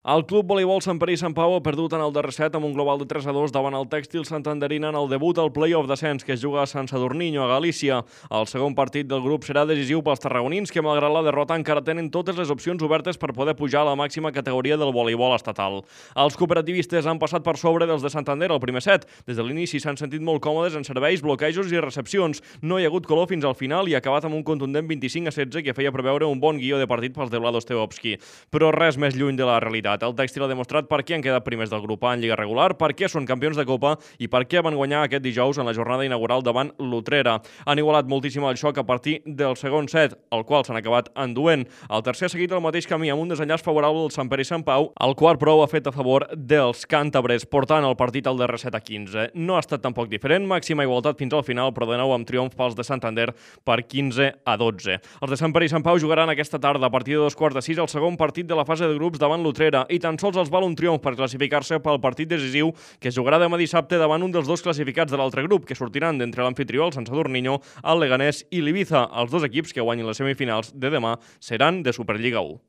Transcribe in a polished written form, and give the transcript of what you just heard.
El Club Voleibol Sant Pere i Sant Pau ha perdut en el darrer set amb un global de 3-2 davant el Tèxtil Santanderina en el debut al play-off d'ascens que es juga a Sant Sadurniño, a Galícia. El segon partit del grup serà decisiu pels tarragonins que, malgrat la derrota, encara tenen totes les opcions obertes per poder pujar a la màxima categoria del voleibol estatal. Els cooperativistes han passat per sobre dels de Santander al primer set. Des de l'inici s'han sentit molt còmodes en serveis, bloquejos i recepcions. No hi ha hagut color fins al final i ha acabat amb un contundent 25-16 que feia preveure un bon guió de partit pels de Vlado Stevovski. Però res més lluny de la realitat. El Tèxtil ha demostrat per què han quedat primers del grup A en Lliga regular, per què són campions de Copa i per què van guanyar aquest dijous en la jornada inaugural davant l'Utrera. Han igualat moltíssim el xoc a partir del segon set, el qual s'han acabat enduent. El tercer ha seguit el mateix camí amb un desenllaç favorable del Sant Pere i Sant Pau. El quart, però, ha fet a favor dels càntabres, portant el partit al darrer set a 15. No ha estat tampoc diferent, màxima igualtat fins al final, però de nou amb triomf pels de Santander per 15-12. Els de Sant Pere i Sant Pau jugaran aquesta tarda a partir de 2:45 el segon partit de la fase de grups davant l'Utrera i tan sols els val un triomf per classificar-se pel partit decisiu que es jugarà demà dissabte davant un dels dos classificats de l'altre grup, que sortiran d'entre l'amfitrió, el Sant Sadurniño, el Leganés i l'Ibiza. Els dos equips que guanyin les semifinals de demà seran de Superliga 1.